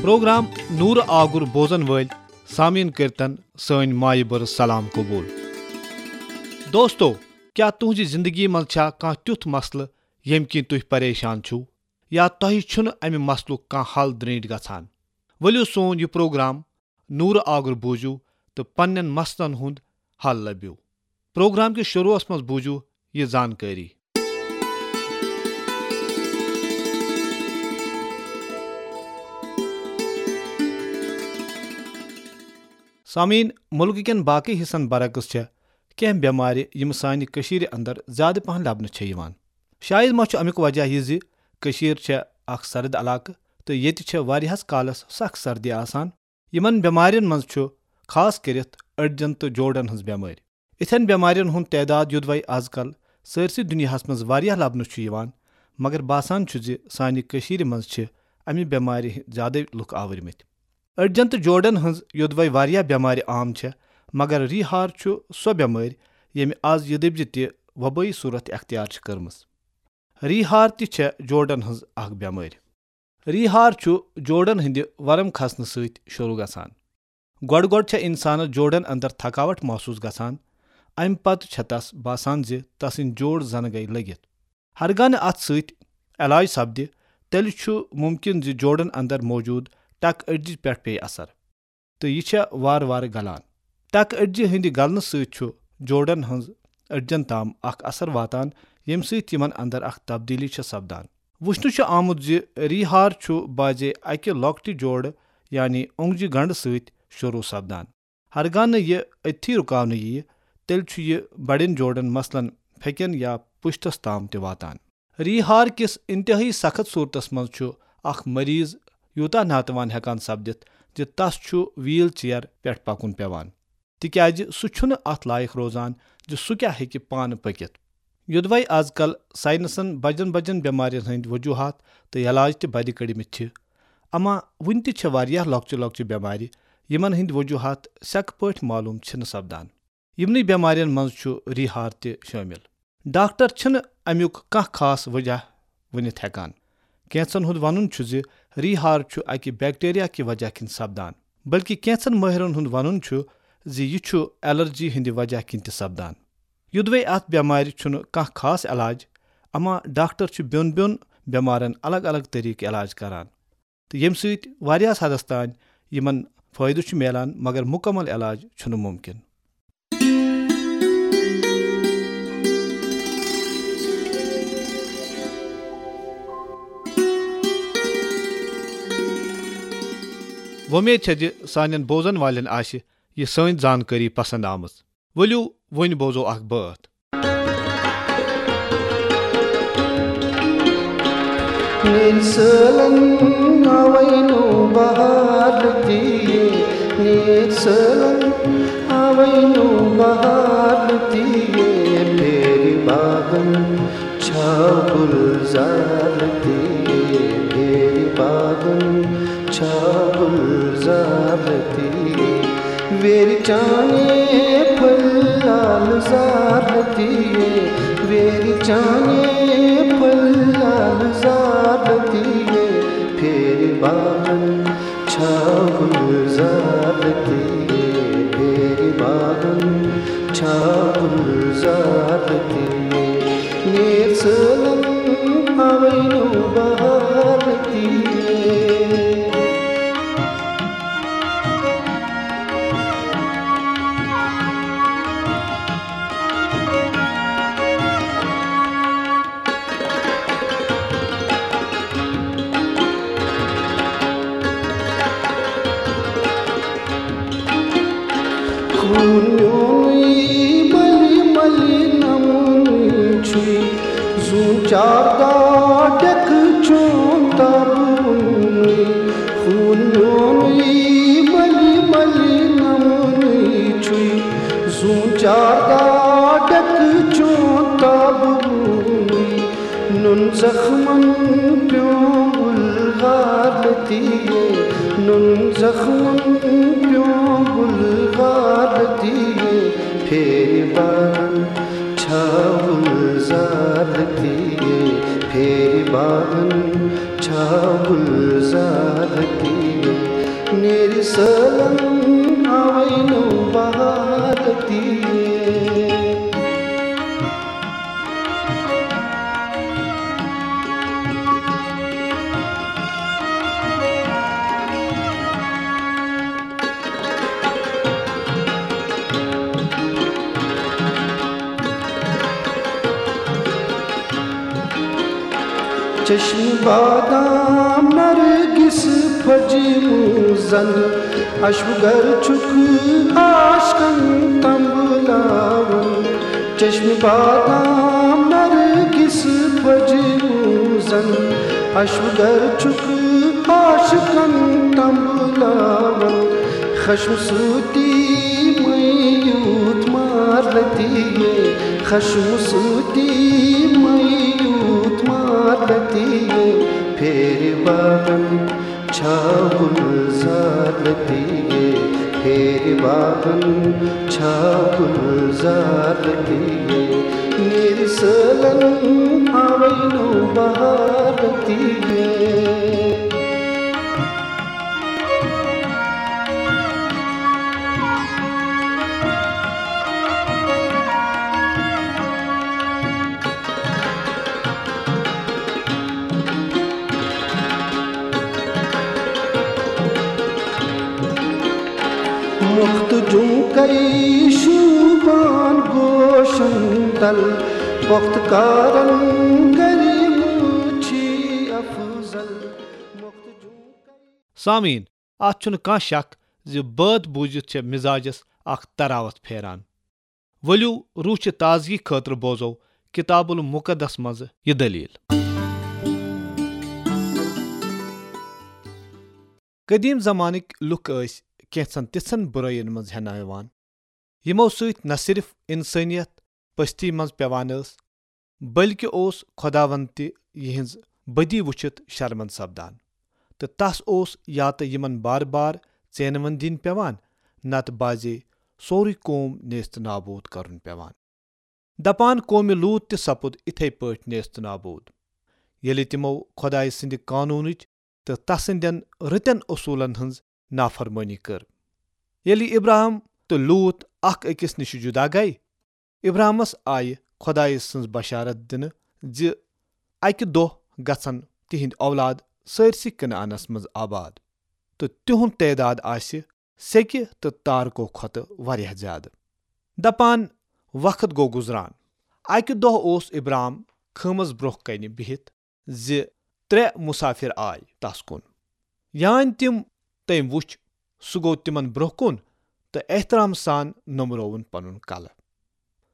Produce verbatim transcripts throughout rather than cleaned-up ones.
Programme نورٕ آگُر بوزن وٲلۍ سامعیٖن کٔرتن سٲنۍ مایہِ بٔرٕژ سلام قبول۔ دوستو، کیٛاہ تُہنٛزِ زندگی منٛز چھا کانٛہہ تیُتھ مسلہٕ ییٚمہِ کِنۍ تُہۍ پریشان چھِو، یا تۄہہِ چھُنہٕ امہِ مسلُک کانٛہہ حل درینٹھ گژھان؟ ؤلِو سون یہِ پروگرام نورٕ آگُر بوٗزِو تہٕ پننٮ۪ن مسلن ہُنٛد حل لٔبِو۔ پروگرام کِس شروعس منٛز بوٗزِو یہِ زانکٲری۔ سامعیٖن، مُلکہٕ کٮ۪ن باقٕے حصن برعکس چھےٚ کینٛہہ بٮ۪مارِ، یِم سانہِ کٔشیٖرِ اندر زیادٕ پہن لبنہٕ چھےٚ یِوان۔ شاید ما چھُ امیُک وجہ یہِ زِ کٔشیٖر چھےٚ اکھ سرد علاقہٕ تہٕ ییٚتہِ چھےٚ واریاہس کالس سخ سردی آسان۔ یِمن بٮ۪مارٮ۪ن منٛز چھُ خاص کٔرِتھ أڈجن تہٕ جوڑن ہٕنٛز بٮ۪مٲرۍ۔ یِتھٮ۪ن بٮ۪مارٮ۪ن ہُنٛد تعداد، یُدوَے از کل سٲرسٕے دُنیاہس منٛز واریاہ لبنہٕ چھُ یِوان، مگر باسان چھُ زِ سانہِ کٔشیٖرِ منٛز چھِ امہِ بٮ۪مارِ ہٕنٛدۍ زیادَے لُکھ آوٕرمٕتۍ۔ أڈجن تہٕ جوڑن ہٕنٛز یوٚدوَے واریاہ بٮ۪مارِ عام چھےٚ، مگر ریٖہار چھُ سۄ بٮ۪مٲرۍ ییٚمہِ از یہِ دٔپۍ زِ تہِ وبٲیی صورت اختیار چھِ کٔرمٕژ۔ ریٖہار تہِ چھےٚ جوڑن ہٕنٛز اکھ بٮ۪مٲرۍ۔ ریٖہار چھُ جوڑن ہٕنٛدِ ورم کھسنہٕ سۭتۍ شروع گژھان۔ گۄڈٕ گۄڈٕ چھےٚ انسانس جوڑن اندر تھکاوٹ محسوس گژھان، امہِ پتہٕ چھےٚ تس باسان زِ تسٕنٛدۍ جوڑ زنہٕ گٔیہِ لٔگِتھ۔ ہرگاہ نہٕ اتھ سۭتۍ علاج سپدِ، تیٚلہِ چھُ ممکن زِ جوڑن اندر موجود ٹکہٕ أڈجہِ پٮ۪ٹھ پیٚیہِ اثر، تہٕ یہِ چھےٚ وارٕ وارٕ گلان۔ ٹکہٕ أڈجہِ ہٕنٛدِ گلنہٕ سۭتۍ چھُ جوڑن ہٕنٛز أڈجن تام اکھ اثر واتان، ییٚمہِ سۭتۍ یِمن اندر اکھ تبدیلی چھےٚ سپدان۔ وُچھنہٕ چھُ آمُت زِ ریٖہار چھُ بعضے اکہِ لۄکٹہِ جوڑٕ، یعنی اونگجہِ گنڈٕ سۭتۍ شروع سپدان۔ ہرگاہ نہٕ یہِ أتھی رُکاونہٕ یِیہِ، تیٚلہِ چھُ یہِ بڑٮ۪ن جوڑن، مثلاً پھیٚکٮ۪ن یا پُشتس تام تہِ واتان۔ ریٖہار کِس انتہٲئی سخت صورتس منٛز چھُ اکھ مریض یوٗتاہ ناتوان ہٮ۪کان سپدِتھ زِ تس چھُ ویٖل چیئر پٮ۪ٹھ پکُن پٮ۪وان، تِکیازِ سُہ چھُنہٕ اتھ لایق روزان زِ سُہ کیٛاہ ہیٚکہِ پانہٕ پٔکِتھ۔ یوٚدوَے از کل ساینسن بجن بجن بٮ۪مارٮ۪ن ہٕنٛدۍ وجوہات تہٕ علاج تہِ بدِ کٔڑمٕتۍ چھِ، اما وُنہِ تہِ چھےٚ واریاہ لۄکچہِ لۄکچہِ بٮ۪مارِ، یِمن ہٕنٛدۍ وجوہات سیٚکہٕ پٲٹھۍ معلوم چھِنہٕ سپدان۔ یِمنٕے بٮ۪مارٮ۪ن منٛز چھُ ریٖہار تہِ شٲمِل۔ ڈاکٹر چھِنہٕ امیُک کانٛہہ خاص وجہ ؤنِتھ ہٮ۪کان۔ کینٛژن ہُنٛد ونُن چھُ زِ ریٖہار چھُ اکہِ بیکٹیریا کہِ وجہ کِنۍ سپدان، بلکہِ کینٛژن مٲہرن ہُنٛد ونُن چھُ زِ یہِ چھُ الرجی ہٕنٛدِ وجہ کِنۍ تہِ سپدان۔ یوٚدوَے اتھ بٮ۪مارِ چھُنہٕ کانٛہہ خاص علاج، اما ڈاکٹر چھِ بیوٚن بیوٚن بٮ۪مارن الگ الگ طریقہٕ علاج کران، تہٕ ییٚمہِ سۭتۍ واریاہس حدس تام یِمن فٲیدٕ چھُ میلان، مگر مُکمل علاج چھُنہٕ مُمکِن۔ وۄمید چھےٚ زِ سانٮ۪ن بوزن والٮ۪ن آسہِ یہِ سٲنۍ زانکٲری پسند آمٕژ۔ ؤلِو، وۄنۍ بوزو اکھ بٲتھ۔ نیرِ سٲلن آوے نوٚو بہار تہِ، نیرِ سٲلن آوے نوٚو بہار تہِ، پھیرِ باغن چھا گُلزار تہِ، پھیرِ باغن چھا گُلزار تہِ۔ ویرِ چانے پھل لال زار تہِ، ویرِ چانے پھل لال زار تہِ، پھیرِ باغن چھا گُلزار تہِ، پھیرِ باغن چھا گُلزار تہِ۔ نیر سٲلن آوے نوٚو بہار تہِ۔ خوٗن میونُے مٔلۍ مٔلۍ نمونٕے چھُے، زوٗن چار داہ ڈٮ۪کہٕ چون تابہٕ وُنُے۔ خوٗن میونُے مٔلۍ مٔلۍ نمونٕے چھُے، زوٗن چار داہ ڈٮ۪کہٕ چون تابہٕ وُنُے۔ نُن زخمن پیوٚو گُلغار تہِ، نُن زخمن پیوٚو گُلغار تہِ، پھیرِ باغن چھا گُلزار تہِ، پھیرِ باغن چھا گُلزار تہِ۔ چشم بادام نرگس پھجمو زن، اشو گر چھُکھ عاشقن تنبلاوان۔ چشم بادام نرگس پھجمو زن، اشو گر چھُکھ عاشقن تنبلاوان۔ خشم سۭتی مٔیوٗت مارلتی یے، خشم سۭتی مٔیوٗت مارلتی یے، پھیرِ باغن چھا گُلزار لتی یے، پھیرِ باغن چھا گُلزار لتی یے، نیرِ سٲلن آوے نوٚو بہار لتی یے۔ مخت جمکے شوبان گوشن تل، پخت کارن گری مچھی افضل۔ مخت جمکے۔ سامعین، اتھ چھُنہٕ کانٛہہ شک زِ بٲتھ بوٗزِتھ چھےٚ مزاجس اکھ تراوت پھیران۔ ؤلِو، روح چہِ تازگی خٲطرٕ بوزو کتاب المقدس منٛز یہِ دٔلیٖل۔ قدیم زمانٕکۍ لُکھ ٲسۍ کینٛژن تِژھن بُرٲیِن منٛز ہٮ۪نہٕ یِوان، یِمو سۭتۍ نہ صرف انسٲنیت پستی منٛز پٮ۪وان ٲس، بلکہِ اوس خۄداوند تہِ یِہنٛز بدی وٕچھِتھ شرمند سپدان، تہٕ تس اوس یا تہٕ یِمن بار بار ژینوٕنۍ دِنۍ پٮ۪وان، نتہٕ بازے سورُے قوم نیست نابود کرُن پٮ۪وان۔ دپان قومِ لوط تہِ سپُد اِتھے پٲٹھۍ نیست نابود، ییٚلہِ تِمو خۄدایہِ سٕنٛدِ قانوٗنٕچ تہٕ تسٕنٛدٮ۪ن رٕتٮ۪ن اصوٗلن ہٕنٛز نافرمٲنی کٔر۔ ییٚلہِ ابراہم تہٕ لوط اکھ أکِس نِش جُدا گٔیہِ، ابراہمس آیہِ خۄدایہِ سٕنٛز بشارت دِنہٕ زِ اکہِ دۄہ گژھن تِہنٛدۍ اولاد سٲرسٕے کنعانس منٛز آباد، تہٕ تِہُنٛد تعداد آسہِ سیٚکہِ تہٕ تارکو کھۄتہٕ واریاہ زیادٕ۔ دپان وقت گوٚو گُزران۔ اکہِ دۄہ اوس ابرام خٲمس برونٛہہ کنہِ بِہِتھ زِ ترٛےٚ مُسافِر آے تس کُن۔ یانۍ تِم تٔمۍ وُچھ، سُہ گوٚو تِمن برونٛہہ کُن تہٕ احترام سان نوٚمرووُن پنُن کلہٕ۔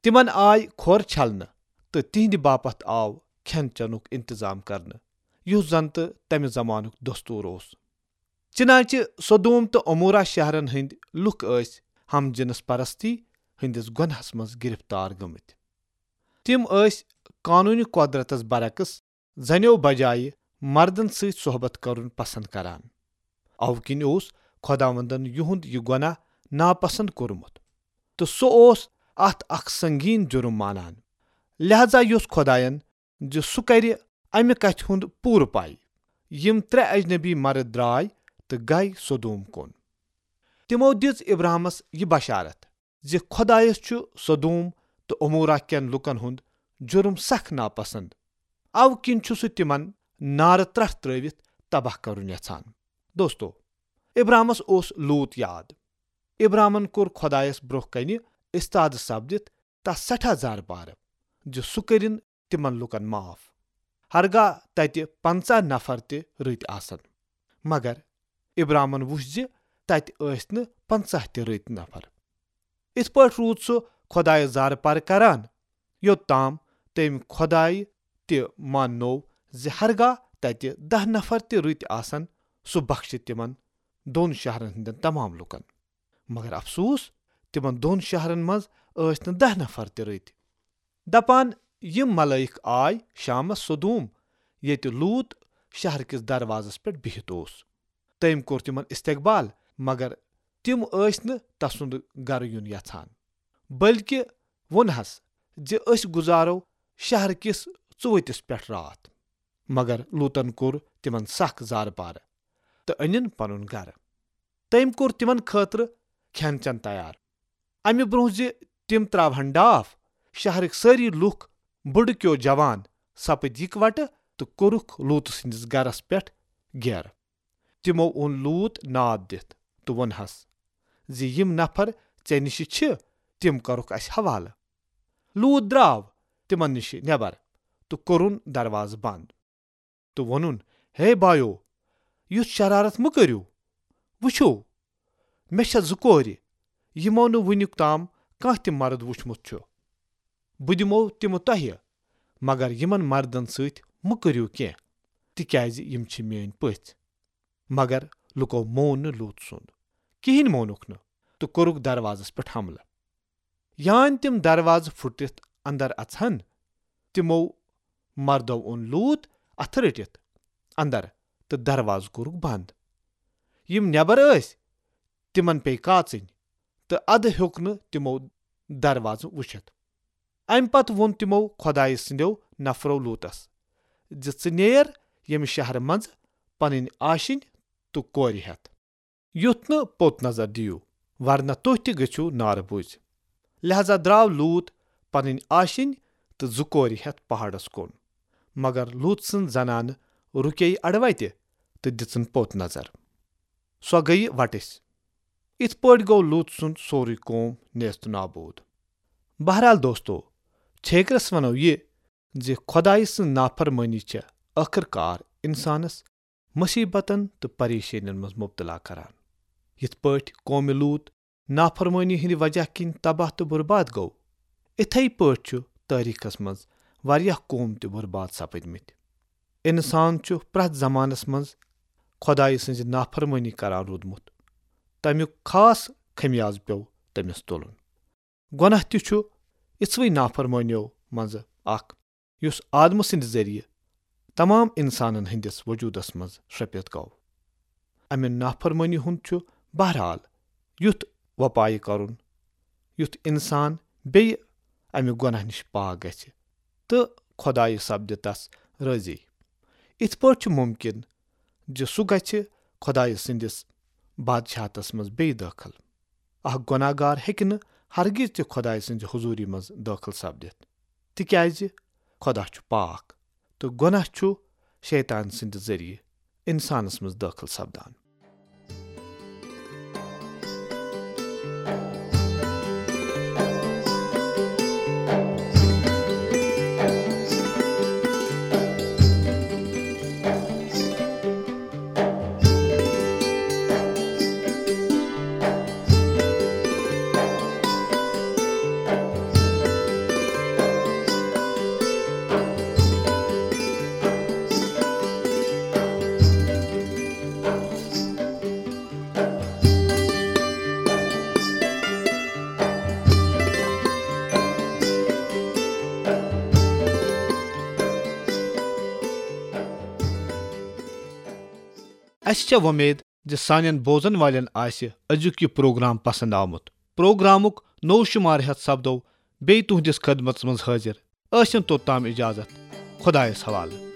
تِمن آے کھۄر چھلنہٕ تہٕ تِہنٛدِ باپتھ آو کھٮ۪ن چٮ۪نُک انتظام کرنہٕ، یُس زن تہٕ تمہِ زمانُک دستور اوس۔ چنانچہ سدوم تہٕ عمورہ شہرن ہٕنٛدۍ لوٗکھ ٲسۍ ہم جنس پرستی ہٕنٛدِس گۄناہس منٛز گرفتار گٔمٕتۍ۔ تِم ٲسۍ قانونی قۄدرتس برعکس زنیو بجایہِ مردن سۭتۍ صحبت کرُن پسند کران۔ اوٕ کِنۍ اوس خۄداوندن یِہُنٛد یہِ گۄناہ ناپسند کوٚرمُت، تہٕ سُہ اوس اتھ اکھ سنگین جُرم مانان۔ لہذا یوٚژھ خۄداین زِ سُہ کرِ امہِ کتھِ ہُنٛد پوٗرٕ پاے۔ یِم ترٛےٚ اجنبی مرد درٛاے تہٕ گے سدوم کُن۔ تِمو دِژ ابراہمس یہِ بشارت زِ خۄدایس چھُ سدوم تہٕ عمورہ کٮ۪ن لوٗکن ہُنٛد جُرم سخ ناپسند، اوٕ کِنۍ چھُ سُہ تِمن نارٕ ترٹھ ترٲوِتھ تباہ کرُن یژھان۔ دوستو، ابراہمس اوس لوط یاد۔ ابراہمن کوٚر خۄدایس برونٛہہ کنہِ استاد سپدِتھ تس سٮ۪ٹھاہ زارٕ پارٕ زِ سُہ کٔرِن تِمن لوٗکن معاف، ہرگاہ تتہِ پنژاہ نفر تہِ رٕتۍ آسن۔ مگر ابراہمن وُچھ زِ تتہِ ٲسۍ نہٕ پنژاہ تہِ رٕتۍ نفر۔ اِتھ پٲٹھۍ روٗد سُہ خۄدایس زارٕ پارٕ کران، یوٚت تام تٔمۍ خۄدایہِ تہِ ماننوو زِ ہرگاہ تتہِ دَہ نفر تہِ رٕتۍ آسن، سُہ بخشہِ تِمن دۄن شہرن ہٕنٛدٮ۪ن تمام لوٗکن۔ مگر افسوس، تِمن دۄن شہرن منٛز ٲسۍ نہٕ دَہ نفر تہِ رٕتۍ۔ دپان، یِم ملٲیِک آے شامس سدوم، ییٚتہِ لوط شہر کِس دروازس پٮ۪ٹھ بِہِتھ اوس۔ تٔمۍ کوٚر تِمن استقبال، مگر تِم ٲسۍ نہٕ تسُنٛد گرٕ یُن یژھان، بلکہِ ووٚنہس زِ أسۍ گُزارو شہر کِس ژُؤتِس پٮ۪ٹھ راتھ۔ مگر لوطن کوٚر تِمن سخ زارٕ پارٕ تہٕ أنِن پنُن گرٕ۔ تٔمۍ کوٚر تِمن خٲطرٕ کھٮ۪ن چٮ۪ن تیار۔ امہِ برونٛہہ زِ تِم تراوہن ڈاپھ، شہرٕکۍ سٲری لوٗکھ، بُڈٕ کیو جوان، سپٕدۍ یکوٹہٕ تہٕ کوٚرُکھ لوط سٕنٛدِس گرس پٮ۪ٹھ گیرٕ۔ تِمو اوٚن لوط ناد دِتھ تہٕ ووٚنہس زِ یِم نفر ژےٚ نِش چھِ، تِم کرُکھ اسہِ حوالہٕ۔ لوط درٛاو تِمن نِش نٮ۪بر تہٕ کوٚرُن دروازٕ بنٛد۔ تہٕ ووٚنُن، "ہے بایو، یُتھ شرارت مہٕ کٔرِو۔ وٕچھِو، مےٚ چھےٚ زٕ کورِ، یِمو نہٕ وٕنیُک تام کانٛہہ تہِ مرد وُچھمُت چھُ۔ بہٕ دِمو تِمہٕ تۄہہِ، مگر یِمن مردن سۭتۍ مہٕ کٔرِو کینٛہہ، تِکیازِ یِم چھِ میٲنۍ پٔژھۍ۔" مگر لُکو مون نہٕ لوٗط سُنٛد، کِہینۍ مونُکھ نہٕ، تہٕ کوٚرُکھ دروازس پٮ۪ٹھ حملہٕ۔ یان تِم دروازٕ پھُٹرِتھ اندر اژہن، تِمو مردو اوٚن لوٗط اتھٕ رٔٹِتھ اندر تہٕ دروازٕ کوٚرُکھ بند۔ یِم نٮ۪بر ٲسۍ، تِمن پیٚیہِ کاژٕنۍ، تہٕ ادٕ ہیوٚک نہٕ تِمو دروازٕ وٕچھِتھ۔ امہِ پتہٕ ووٚن تِمو خۄدایہِ سٕنٛدیو نفرو لوٗطس زِ، "ژٕ نیر ییٚمہِ شہرٕ منٛزٕ پنٕنۍ آشِنۍ تہٕ کورِ ہٮ۪تھ، یُتھ نہٕ پوٚت نظر دِیِو، ورنہ تُہۍ تہِ گٔژھِو نارٕ بوٗزِ۔" لہذا درٛاو لوٗط پنٕنۍ آشِنۍ تہٕ زٕ کورِ ہٮ۪تھ پہاڑس کُن۔ مگر لوٗط سٕنٛز زنانہٕ رُکے اڑوتہِ تہٕ دِژٕن پوٚت نظر۔ سۄ گٔیہِ وٹٕسۍ۔ یِتھ پٲٹھۍ گوٚو لوٗط سُنٛد سورُے قوم نیست نابود۔ بہرحال دوستو، چھیکرس ونو یہِ زِ خۄدایہِ سٕنٛز نافرمٲنی چھےٚ ٲخٕر کار انسانس مصیبتن تہٕ پریشٲنین منٛز مبتلا کران۔ یِتھ پٲٹھۍ قومِ لوٗط نافرمٲنی ہٕنٛدِ وجہ کِنۍ تباہ تہٕ برباد گوٚو، اِتھے پٲٹھۍ چھُ تٲریخس منٛز واریاہ قوم تہِ برباد سپٕدمٕتۍ۔ انسان چھُ پرٛٮ۪تھ زمانس منٛز خۄدایہِ سٕنٛزِ نافرمٲنی کران روٗدمُت۔ تمیُک خاص خمیازٕ پیوٚو تٔمِس تُلُن۔ گۄناہ تہِ چھُ اِژھوٕے نافرمٲنیو منٛزٕ اکھ، یُس آدمہٕ سٕنٛدِ ذٔریعہٕ تمام انسانن ہٕنٛدِس وجوٗدس منٛز شرٛپِتھ گوٚو۔ امہِ نافرمٲنی ہُنٛد چھُ بہرحال یُتھ وۄپایہِ کرُن، یُتھ انسان بیٚیہِ امہِ گۄناہ نِش پاک گژھِ تہٕ خۄدایہِ سپدِ تس رٲضی۔ اِتھ پٲٹھۍ چھُ مُمکِن زِ سُہ گژھِ خۄدایہِ سٕنٛدِس بادشاہتس منٛز بیٚیہِ دٲخل۔ اکھ گۄناہ گار ہیٚکہِ نہٕ ہرگز تہِ خۄدایہِ سٕنٛزِ حضوٗری منٛز دٲخل سپدِتھ، تِکیازِ خۄدا چھُ پاک تہٕ گۄناہ چھُ شیطان سٕنٛدِ ذٔریعہٕ انسانس منٛز دٲخل سپدان۔ اسہِ چھےٚ وۄمید زِ سانٮ۪ن بوزن والٮ۪ن آسہِ أزیُک یہِ پروگرام پسند آمُت۔ پروگرامُک نوٚو شمارٕ ہٮ۪تھ سپدو بیٚیہِ تُہنٛدِس خدمتس منٛز حٲضِر۔ ٲسِن توٚتام اجازت۔ خۄدایس حوالہٕ۔